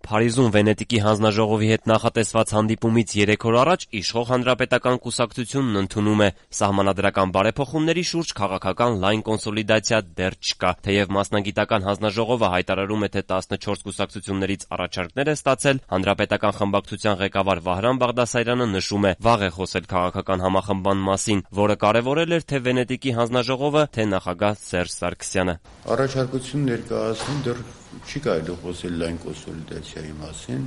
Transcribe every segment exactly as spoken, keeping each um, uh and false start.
Փարիզում Վենետիկի հանձնաժողովի հետ նախատեսված հանդիպումից երեք օր առաջ իշխող Հանրապետական կուսակցությունն ընդունում է սահմանադրական բարեփոխումների շուրջ քաղաքական լայն կոնսոլիդացիա դեռ չկա, թեև մասնագիտական հանձնաժողովը հայտարարում է, թե տասնչորս կուսակցություններից առաջարկներ է ստացել, Հանրապետական խմբակցության ղեկավար Վահրամ Բաղդասարյանը նշում է, վաղ է խոսել քաղաքական համախմբման մասին, որը կարևորել էր թե Վենետիկի հանձնաժողովը, թե նախագահ Սերժ Սարգսյանը։ Առաջարկություն ներկայացնում դեռ չի կարելի խոսել լայն կոնսոլիդացիայի մասին,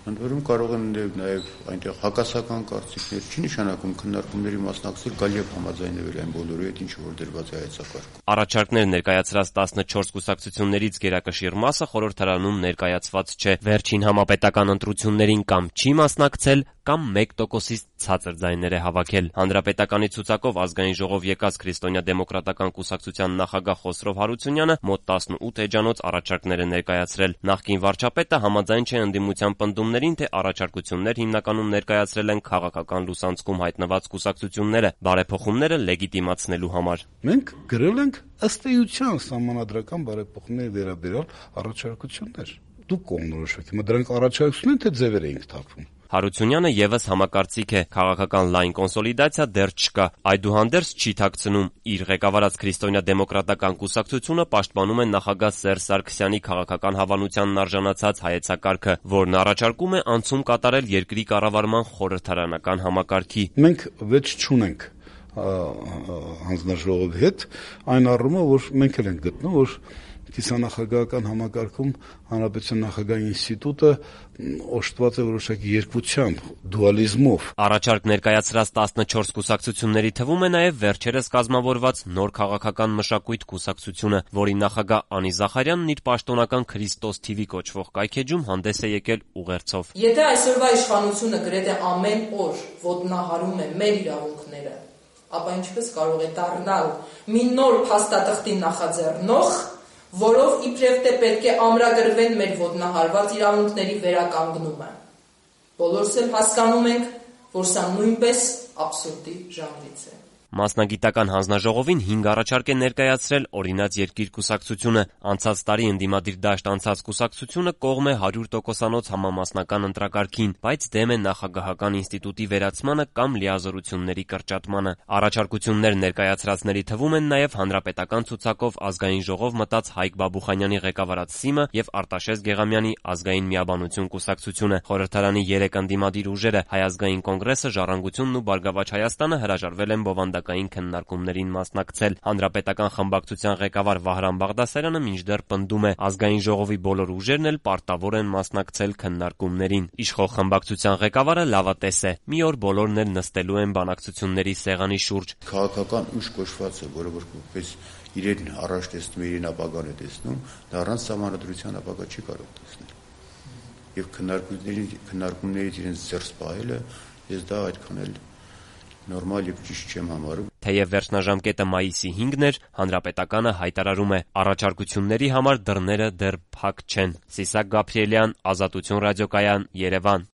ընդ որում կարող են նաև այնտեղ հակասական կարծիքներ, չի նշանակում քննարկումների մասնակցել, գալ եւ համաձայնվել այն բոլորի հետ, ինչը որ դրված է հայեցակարգում։ Առաջարկներ ներկայացրած տասնչորս կուսակցություններից գերակշիռ մասը խորհրդարանում ներկայացված չէ։ Վերջին համապետական ընտրություններին կամ չի մասնակցել, կամ մեկ տոկոսից ցածր ձայներ է հավաքել։ Հանրապետականի ցուցակով ազգային ժողով եկած Քրիստոնյա-դեմոկրատական կուսակցության նախագահ Խոսրով Հարությունյանը մոտ տասնութ էջանոց առաջարկներ է ներկայացրել։ Նախկին վարչապետը համաձայն չէ ընդդիմության պնդումներին, թե առաջարկություններ հիմնականում ներկայացրել են քաղաքական լուսանցքում հայտնված կուսակցությունները բարեփոխումները լեգիտիմացնելու համար։ Մենք գրել ենք ըստ էության սահմանադրական բարեփոխումների վերաբերյալ առաջարկություններ։ Դուք կողմնորոշվեք, հիմա դրանք առաջարկություն են, թե ձևեր էինք թափում։ Հարությունյանը եւս համակարծիք է, քաղաքական լայն կոնսոլիդացիա դեռ չկա, այդուհանդերձ չի թաքցնում, իր ղեկավարած Քրիստոնյա-դեմոկրատական կուսակցությունը պաշտպանում է նախագահ Սերժ Սարգսյանի քաղաքական հավանությանն արժանացած հայեցակարգը, որն առաջարկում է անցում կատարել երկրի կառավարման խորհրդարանական համակարգի։ Մենք վեճ չունենք հանձնաժողովի հետ, այն առումով, որ մենք էլ ենք գտնում, որ կիսանախագահական համակարգում հանրապետության նախագահի ինստիտուտը օժտված է որոշակի երկվությամբ, դուալիզմով։ Առաջարկ ներկայացրած տասնչորս կուսակցությունների թվում է նաև վերջերս կազմավորված նոր քաղաքական մշակույթ կուսակցությունը, որի նախագահ Անի Զախարյանն իր պաշտոնական Քրիստոս թիվի կոչվող կայքէջում հանդես է եկել ուղերձով։ Եթե այսօրվա իշխանությունը գրեթե ամեն օր ոտնահարում է մեր իրավունքները, ապա ինչպես կարող է դառնալ մի նոր փաստաթղթի նախաձեռնող, որով իբրև թե պետք է ամրագրվեն մեր ոտնահարված իրավունքների վերականգնումը։ Բոլորս էլ հասկանում ենք, որ սա նույնպես աբսուրդի ժանրից է։ Մասնագիտական հանձնաժողովին հինգ առաջարկ է ներկայացրել օրինաց երկիր կուսակցությունը։ Անցած տարի ընդդիմադիր դաշտ անցած կուսակցությունը կողմ է հարյուր տոկոսանոց համամասնական ընտրակարգին, բայց դեմ է նախագահական ինստիտուտի վերացմանը կամ լիազորությունների կրճատմանը։ Առաջարկություններ ներկայացրածների թվում են նաև հանրապետական ցուցակով ազգային ժողով մտած Հայկ Բաբուխանյանի ղեկավարած ՍԻՄ-ը եւ Արտաշես Գեղամյանի ազգային միաբանություն կուսակցությունը։ Խորհրդարանի երեք ընդդիմադիր ուժերը Հայ ազգային կոնգրեսը, Ժառանգությունն ու Բարգավաճ Հայաստանը հրաժարվել են բովանդակային քննարկումներին մասնակցել։ Հանրապետական խմբակցության ղեկավար Վահրամ Բաղդասարյանը մինչդեռ պնդում է, ազգային ժողովի բոլոր ուժերն էլ պարտավոր են մասնակցել քննարկումներին։ Իշխող խմբակցության ղեկավարը լավատես է։ Մի օր բոլորն էլ նստելու են բանակցությունների սեղանի շուրջ։ Քաղաքական ուժ կոչվածը, որը որպես իրեն առաջ տեսնում, իրեն ապագան է տեսնում, դա առանց սահմանադրության ապագա չի կարող տեսնել։ Եվ քննարկումների քննարկումներից իրենց զերծ պահելը, ես դա այդքան էլ նորմալ եւ ճիշտ չեմ համարում։ Թեև վերջնաժամկետը մայիսի հինգն էր, Հանրապետականը հայտարարում է, առաջարկությունների համար դռները դեռ փակ չեն։ Սիսակ Գաբրիելյան, Ազատություն ռադիոկայան, Երևան։